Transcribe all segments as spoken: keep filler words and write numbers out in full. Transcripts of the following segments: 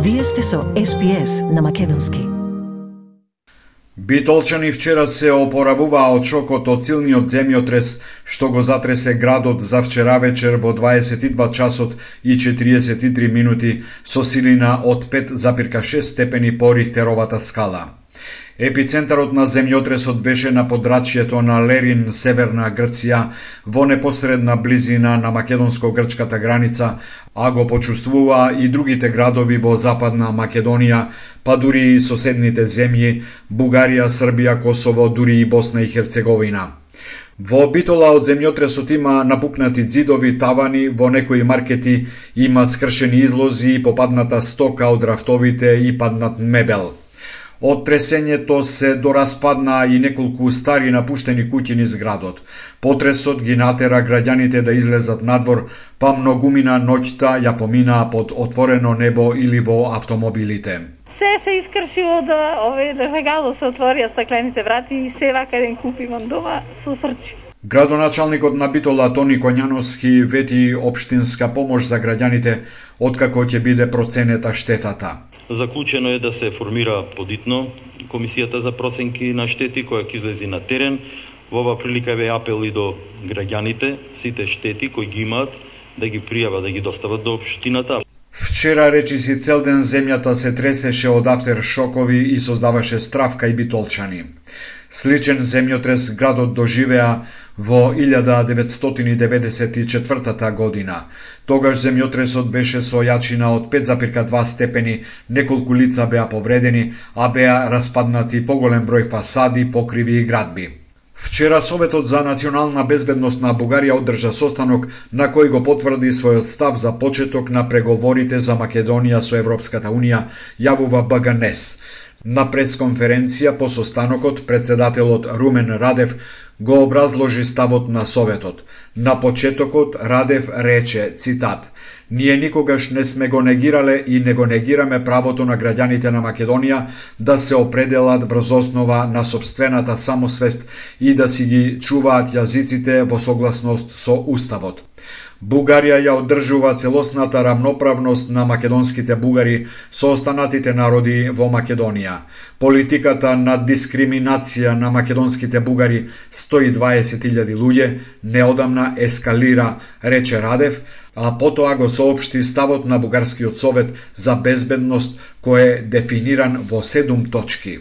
Вие сте со Ес Би Ес на македонски. Битолчани вчера се опоравуваа од шокот од силниот земјотрес што го затресе градот за вчера вечер во дваесет и два часот и четириесет и три минути со силина од пет запирка шест степени по Рихтеровата скала. Епицентарот на земјотресот беше на подрачјето на Лерин, северна Грција, во непосредна близина на македонско-грчката граница, а го почувствуваа и другите градови во Западна Македонија, па дури и соседните земји, Бугарија, Србија, Косово, дури и Босна и Херцеговина. Во Битола од земјотресот има напукнати ѕидови, тавани, во некои маркети има скршени излози и попадната стока од рафтовите и паднат мебел. Од тресењето се дораспаднаа и неколку стари напуштени куќи низ градот. Потресот ги натера граѓаните да излезат надвор, па многумина ноќта ја поминаа под отворено небо или во автомобилите. Се се искршило да овој легало се отворија стаклените врати и се вака ден купивам дома со срчи. Градоначалникот на Битола Тони Коњановски вети општинска помош за граѓаните откако ќе биде проценета штетата. Заклучено е да се формира подитно комисијата за проценки на штети која ќе излези на терен. Во оваа прилика ве апел и до граѓаните, сите штети кои ги имаат да ги пријават, да ги достават до општината. Вчера речиси цел ден земјата се тресеше од афтершокови и создаваше страв кај битолчани. Сличен земјотрес градот доживеа во илјада деветстотини деветдесет и четвртата година. Тогаш земјотресот беше со јачина од пет запирка два степени, неколку лица беа повредени, а беа распаднати поголем број фасади, покриви и градби. Вчера Советот за национална безбедност на Бугарија одржа состанок на кој го потврди својот став за почеток на преговорите за Македонија со Европската Унија, јавува Бэ Ге Ен Е С. На пресконференција по состанокот, председателот Румен Радев го образложи ставот на Советот. На почетокот Радев рече, цитат, "Ние никогаш не сме го негирале и не го негираме правото на граѓаните на Македонија да се определат врз основа на сопствената самосвест и да си ги чуваат јазиците во согласност со Уставот. Бугарија ја одржува целосната рамноправност на македонските бугари со останатите народи во Македонија. Политиката на дискриминација на македонските бугари, сто и дваесет илјади луѓе, неодамна ескалира, рече Радев, а потоа го соопшти ставот на Бугарскиот совет за безбедност кој е дефиниран во седум точки.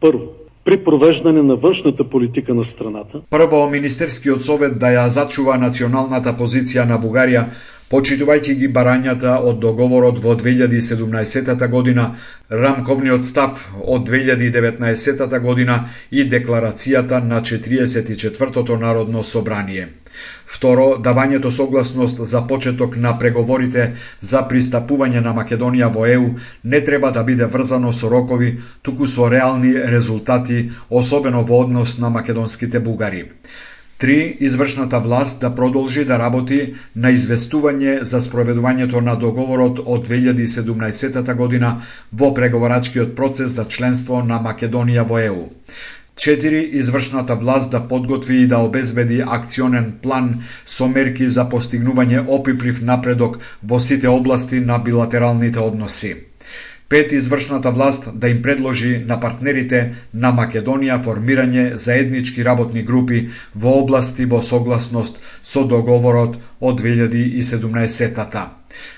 Прво, при провеждање на външната политика на страната. Прво, Министерскиот совет да ја зачува националната позиција на Бугарија, почитувајќи ги барањата од договорот во две илјади и седумнаесетата година, рамковниот став од две илјади и деветнаесетата година и декларацијата на четириесет и четвртото Народно собрание. Второ, давањето согласност за почеток на преговорите за пристапување на Македонија во Е У не треба да биде врзано со рокови, туку со реални резултати, особено во однос на македонските бугари. Три, извршната власт да продолжи да работи на известување за спроведувањето на договорот од две илјади и седумнаесетата година во преговорачкиот процес за членство на Македонија во Е У. Четири, извршната власт да подготви и да обезбеди акционен план со мерки за постигнување опиплив напредок во сите области на билатералните односи. Пет, извршната власт да им предложи на партнерите на Македонија формирање заеднички работни групи во области во согласност со договорот од две илјади и седумнаесетата.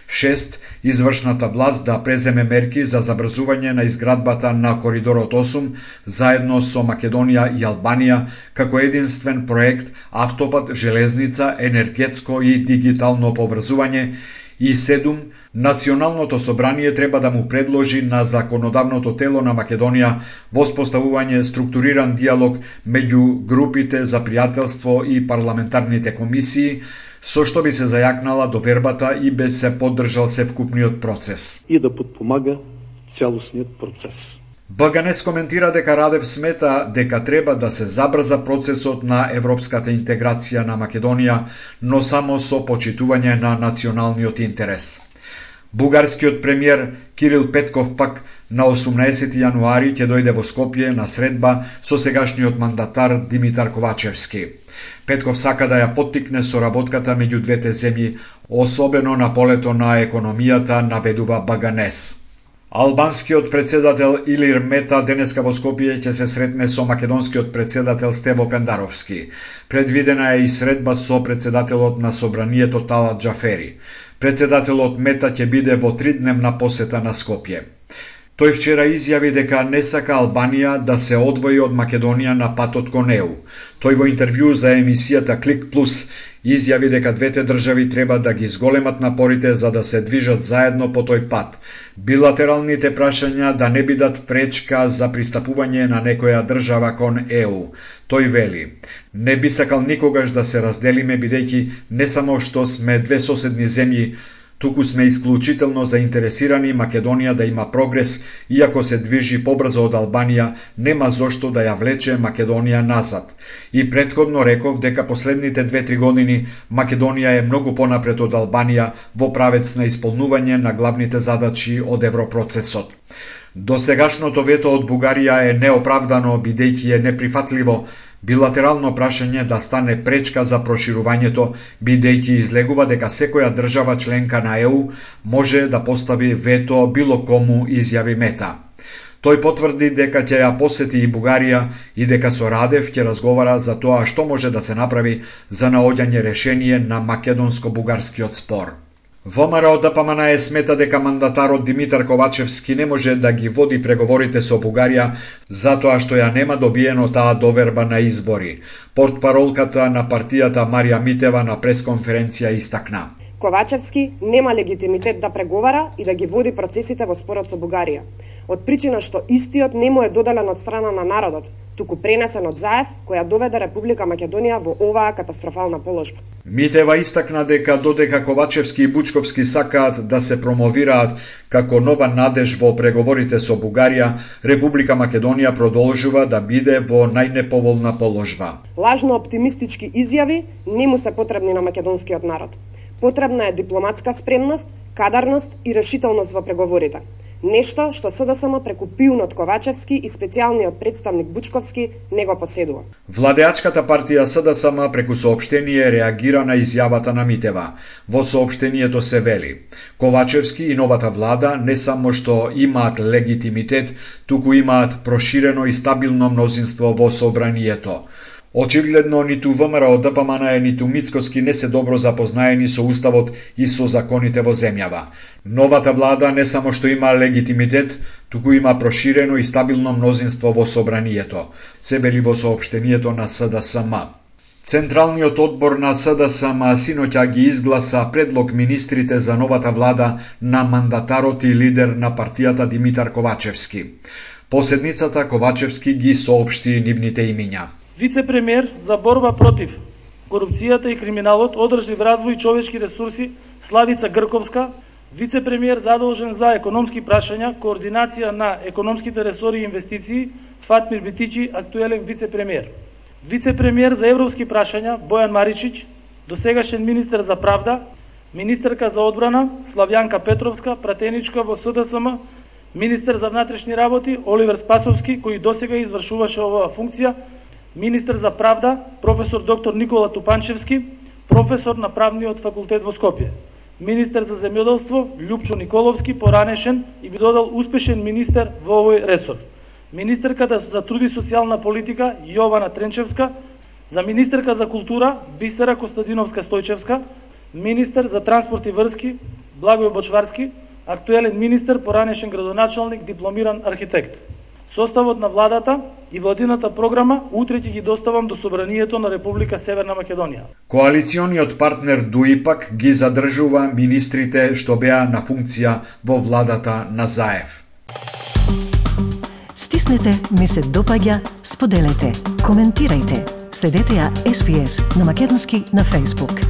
Шест, извршната власт да преземе мерки за забрзување на изградбата на Коридорот осум заедно со Македонија и Албанија како единствен проект автопат, железница, енергетско и дигитално поврзување. И седум, Националното собрание треба да му предложи на законодавното тело на Македонија воспоставување структуриран диалог меѓу групите за пријателство и парламентарните комисии, со што би се зајакнала довербата и би се поддржал севкупниот процес. И да подпомага целосниот процес. Бэ Ге Ен Е С коментира дека Радев смета дека треба да се забрза процесот на европската интеграција на Македонија, но само со почитување на националниот интерес. Бугарскиот премиер Кирил Петков пак на осумнаесети јануари ќе дојде во Скопје на средба со сегашниот мандатар Димитар Ковачевски. Петков сака да ја поттикне соработката меѓу двете земји, особено на полето на економијата, наведува Бэ Ге Ен Е С. Албанскиот председател Илир Мета денеска во Скопје ќе се сретне со македонскиот председател Стево Пендаровски. Предвидена е и средба со председателот на собранието Талат Џафери. Председателот Мета ќе биде во тридневна посета на Скопје. Тој вчера изјави дека не сака Албанија да се одвои од Македонија на патот кон Е У. Тој во интервју за емисијата Клик Плюс изјави дека двете држави треба да ги зголемат напорите за да се движат заедно по тој пат. Билатералните прашања да не бидат пречка за пристапување на некоја држава кон Е У. Тој вели: "Не би сакал никогаш да се разделиме, бидејќи не само што сме две соседни земји, туку сме исклучително заинтересирани Македонија да има прогрес, иако се движи побрзо од Албанија, нема зошто да ја влече Македонија назад." И претходно реков дека последните две-три години Македонија е многу понапред од Албанија во правец на исполнување на главните задачи од европроцесот. Досегашното вето од Бугарија е неоправдано, бидејќи е неприфатливо билатерално прашање да стане пречка за проширувањето, бидејќи излегува дека секоја држава членка на Е У може да постави вето било кому, изјави Мета. Тој потврди дека ќе ја посети и Бугарија и дека со Радев ќе разговара за тоа што може да се направи за наоѓање решение на македонско-бугарскиот спор. ВМРО Д П М Н Е смета дека мандатарот Димитар Ковачевски не може да ги води преговорите со Бугарија затоа што ја нема добиено таа доверба на избори. Портпаролката на партијата Марија Митева на пресконференција истакна: Ковачевски нема легитимитет да преговара и да ги води процесите во спорот со Бугарија, од причина што истиот не му е доделен од страна на народот, туку пренесен од Заев, која доведе Република Македонија во оваа катастрофална положба. Митева истакна дека додека Ковачевски и Бучковски сакаат да се промовираат како нова надеж во преговорите со Бугарија, Република Македонија продолжува да биде во најнеповолна положба. Лажно оптимистички изјави не му се потребни на македонскиот народ. Потребна е дипломатска спремност, кадарност и решителност во преговорите. Нешто што С Д С М преку пиунот Ковачевски и специјалниот представник Бучковски не го поседува. Владеачката партија С Д С М преку соопштение реагира на изјавата на Митева. Во соопштението се вели: Ковачевски и новата влада не само што имаат легитимитет, туку имаат проширено и стабилно мнозинство во собранието. Очигледно ниту ВМРО Д П М Н Е, ниту Мицкоски не се добро запознаени со уставот и со законите во земјава. Новата влада не само што има легитимитет, туку има проширено и стабилно мнозинство во собранието, се вели во соопштението на С Д С М. Централниот одбор на С Д С М синоќа ги изгласа предлог министрите за новата влада на мандатарот и лидер на партијата Димитар Ковачевски. По седницата Ковачевски ги соопшти нивните имиња: Вице-премиер за борба против корупцијата и криминалот, одржлив развој и човечки ресурси Славица Грковска, вице-премиер задолжен за економски прашања, координација на економските ресори и инвестиции Фатмир Битичи, актуелен вице-премиер. Вице-премиер за европски прашања Бојан Маричич, досегашен министер за правда, министерка за одбрана Славјанка Петровска, пратеничка во С Д С М, министер за внатрешни работи Оливер Спасовски, кој досега извршуваше оваа функција, министер за правда професор доктор Никола Тупанчевски, професор на правниот факултет во Скопје. Министер за земјоделство Љупчо Николовски, поранешен и би додал успешен министер во овој ресор. Министерката за труд и социјална политика Јована Тренчевска, за министерка за култура Бисера Костадиновска Стојчевска, министер за транспорт и врски Благој Бочварски, актуелен министер, поранешен градоначалник, дипломиран архитект. Составот на владата и владината програма утре ќе ги доставам до Собранието на Република Северна Македонија. Коалициониот партнер ДУИПАК ги задржува министрите што беа на функција во владата на Заев. Стиснете, ми се допаѓа, споделете, коментирајте. Следете ја С Б С на македонски на Facebook.